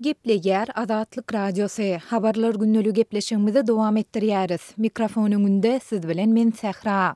Gepleýär Azatlyk Radiosy, Habarlar gündeligi gepleşigimizi dowam etdirýäris. Mikrofon öňünde siz bilen men Sähra.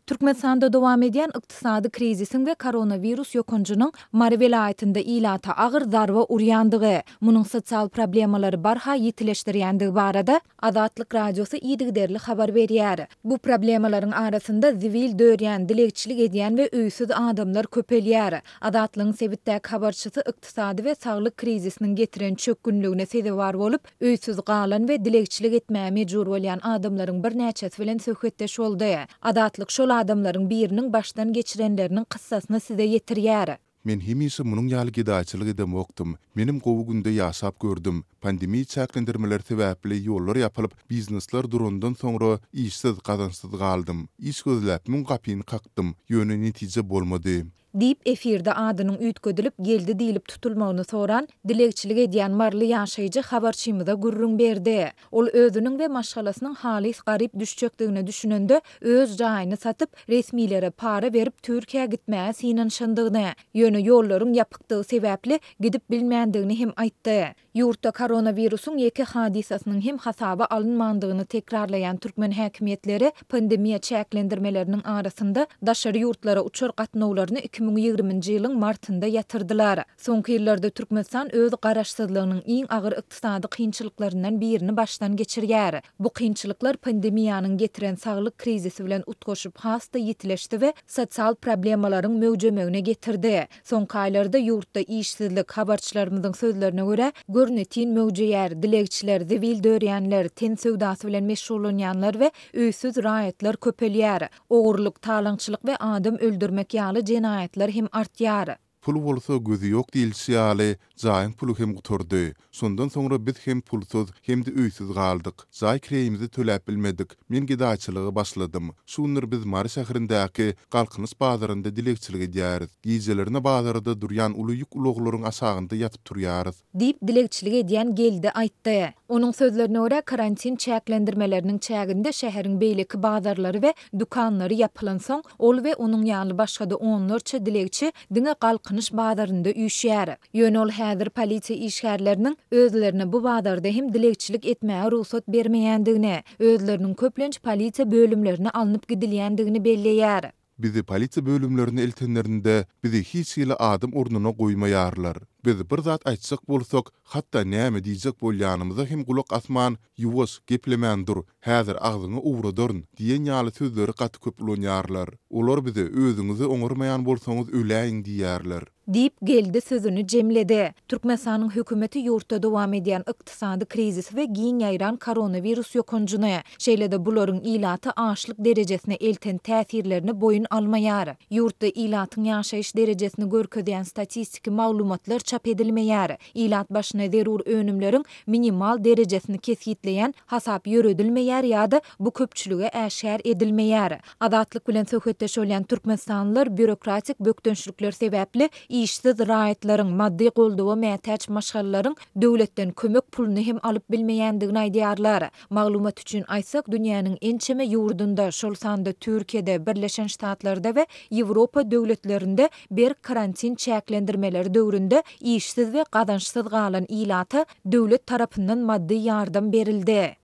Türkmenistanda dowam edýän ykdysady krizisiň we koronawirus ýokanjynyň Mary welaýatynda ilata agyr zarba urýandygy, munuň sosial problemalary barha ýitileşdirýändigi barada Azatlyk Radiosy yzygiderli habar berýär. Bu problemalaryň arasynda zibil dörýän, dilegçilik edýän we öýsüz adamlar köpelýär. Azatlygyň sebitdäki habarçysy ykdysady we saglyk krizisiniň getiren çökgünligine sezewar bolup, öýsüz galan we dilegçilik etmäge mejbur bolýan adamlaryň birnäçesi bilen söhbetdeş boldy. Azatlyk şol adamlaryň biriniň başdan geçirenleriniň kyssasyny size ýetirýär. Men hemişe munuň ýaly gedaýçylyk edemokdym. Menem gowy günde ýaşap gördüm. Pandemiýa çäklendirmeleri sebäpli ýollar ýapylyp, biznesler durandan soňra işsiz, gazançsyz galdym. Iş gözläp müň gapyny kakdym, ýöne netije bolmady. Diýip, efirde adynyň üýtgedilip, Geldi diýlip tutulmagyny soran, dilegçilik edýän maryly ýaşaýjy habarçymyza gürrüň berdi. Ol özüniň we maşgalasynyň halys garyp düşjekdigine düşünende, öz jaýyny satyp, resmilere para berip Türkiýä gitmäge synanyşandygyny, ýöne ýollaryň ýapykdygy sebäpli gidip bilmändigini hem aýtdy. Ýurtda koronawirusyň ýeke hadysasynyň hem hasaba alynmandygyny tekrarlaýan türkmen häkimiýetleri pandemiýa çäklendirmeleriniň arasynda daşary ýurtlara uçar gatnawlaryny 2020-nji ýylyň martynda ýatyrdylar. Soňky ýyllarda Türkmenistan öz garaşsyzlygynyň iň agyr ykdysady kynçylyklaryndan birini başdan geçirýär. Bu kynçylyklar pandemiýanyň getiren saglyk krizisi bilen utgaşyp has-da ýitileşdi we sosial problemalaryň möwjemegine getirdi. Soňky aýlarda ýurtda işsizlik, habarçylarymyzyň sözlerine görä, görnetin möwjeýär, dilegçiler, zibil dörýänler, ten söwdasy bilen meşgullanýanlar we öýsüz raýatlar köpelýär. Ogurlyk, talaňçylyk we adam öldürmek ýaly jenaýatlar hem artýar. Pul bolsa gözi ýok diýilişi ýaly, jaýyň puly hem gutardy. Şondan soňra biz hem pulsuz, hem-de öýsüz galdyk. Jaý kireýimizi töläp bilmedik. Men gedaýçylyga başladym. Şu günler biz Mary şäherindäki Galkynyş bazarynda dilegçilik edýäris. Gijelerine bazarda durýan uly ýük ulaglaryň aşagynda ýatyp turýarys. Diýip, dilegçilik edýän Geldi aýtdy. Onuň sözlerine görä, karantin çäklendirmeleriniň çäginde şäheriň beýleki bazarlary we dükanlary ýapylansoň, ol we onuň ýaly başga-da onlarça dilegçi diňe Galkynyş bazarynda üýşýär. Ýöne ol häzir polisiýa işgärleriniň özlerine bu bazarda hem dilegçilik etmäge rugsat bermeýändigini, özleriniň köplenç polisiýa bölümlerine alnyp gidilýändigini belleýär. Bizi polisiýa bölümlerine eltenlerinde, bizi hiç hili adam ornuna goýmaýarlar. Biz bir zat aýtjak bolsak, hatda näme diýjek bolýanymyza hem gulak asman, Ýuwaş, geplemän dur, häzir agzyňy owradaryn diýen ýaly sözleri gaty köp ulanýarlar. Olar bize özüňizi oňarmaýan bolsaňyz öläýiň diýýärler. Diýip, Geldi sözüni jemledi. Türkmenistanyň hökümeti ýurtda dowam edýän ykdysady krizisi we giň ýaýran koronawirus ýokanjyny, şeýle-de bularyň ilaty açlyk derejesine elten täsirlerini boýun almaýar. Ýurtda ilatyň ýaşaýyş derejesini görkezýän statistiki maglumatlar çap edilmeýär. Ilat başyna zerur önümleriň minimal derejesini kesgitleýän hasap ýöredilmeýär ýa-da bu köpçülige äşgär edilmeýär. Azatlyk bilen söhbetdeş bolýan türkmenistanlylar býurokratik bökdençlikler sebäpli işsiz raýatlaryň, maddy goldawa mätäç maşgalalaryň döwletden kömek puluny hem alyp bilmeýändigini aýdýarlar. Maglumat üçin aýtsak, dünýäniň ençeme ýurdunda, şol sanda Türkiýede, Birleşen Ştatlarda we Ýewropa döwletlerinde berk karantin çäklendirmeleri döwründe işsiz we gazançsyz galan ilata döwlet tarapyndan maddy ýardam berildi.